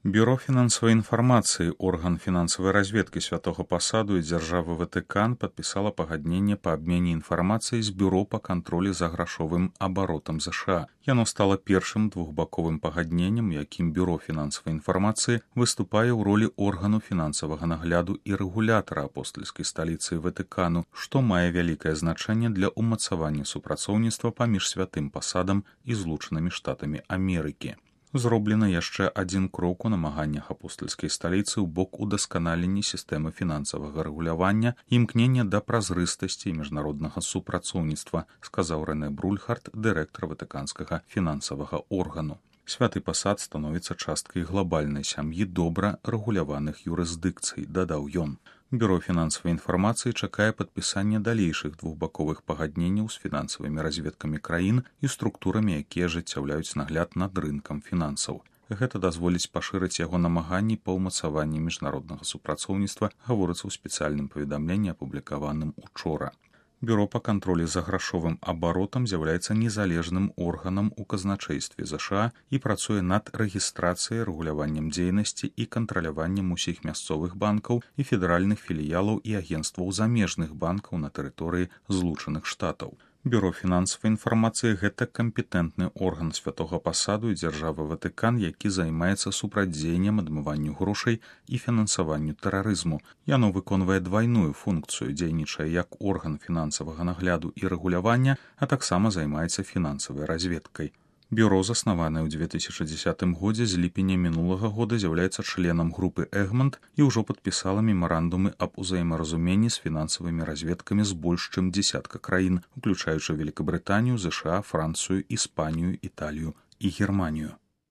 Бюро финансовой информации, орган финансовой разведки Святого Посаду и Дзяржавы Ватыкан подписала пагадненне по обмене информацией с Бюро по контролю за грашовым оборотом США. Яно стало першым двухбаковым пагадненнем, яким Бюро финансовой информации выступае ў ролі органу фінансавага нагляду і рэгулятара апостольскай сталіцы Ватыкану, што мае вялікае значэнне для ўмацавання супрацоўніцтва паміж Святым Пасадам і Злучанымі Штатамі Амерыкі. Зроблена яшчэ адзін крок у намаганнях апостольскай сталіцы ў бок удасканалення сістэмы фінансавага рэгулявання і імкнення да празрыстасці міжнароднага супрацоўніцтва, сказаў Рэнэ Брульхард, дырэктар ватыканскага фінансавага органу. Святы Пасад становіцца часткай глобальнай сям'і добра рэгуляваных юрысдыкцый, дадаў ён. Бюро фінансавай інфармацыі чакае падпісання далейшых двухбаковых пагадненняў з фінансавымі разведкамі краін і структурамі, якія ажыццяўляюць нагляд над рынкам фінансаў. Гэта дазволіць пашырыць яго намаганні па ўмацаванні міжнароднага супрацоўніцтва, гаворыцца ў спецыяльным паведамленні, апублікаваным учора. Бюро па кантролі за грашовым абаротам з'яўляецца незалежным органам у казначэйстве ЗША і працуе над рэгістрацыяй, рэгуляваннем дзейнасці і кантраляваннем усіх мясцовых банкаў і федэральных філіялаў і агенцтваў замежных банкаў на тэрыторыі Злучаных Штатаў. Бюро фінансавай інфармацыі – гэта кампетэнтны орган Святога Пасаду і Дзяржавы Ватыкан, які займаецца супрацьдзеяннем адмыванню грошай і фінансаванню тэрарызму. Яно выконвае двайную функцыю, дзейнічае як орган фінансавага нагляду і рэгулявання, а таксама займаецца фінансавай разведкай. Бюро, заснаванае ў 2010 годзе, з ліпеня мінулага года з'яўляецца членам групы Эгмонт і ўжо падпісала мемарандумы аб узаемаразуменні з фінансавымі разведкамі з больш чым дзесятка краін, уключаючы Великабрытанію, ЗША, Францыю, Іспанію, Італію і Германію.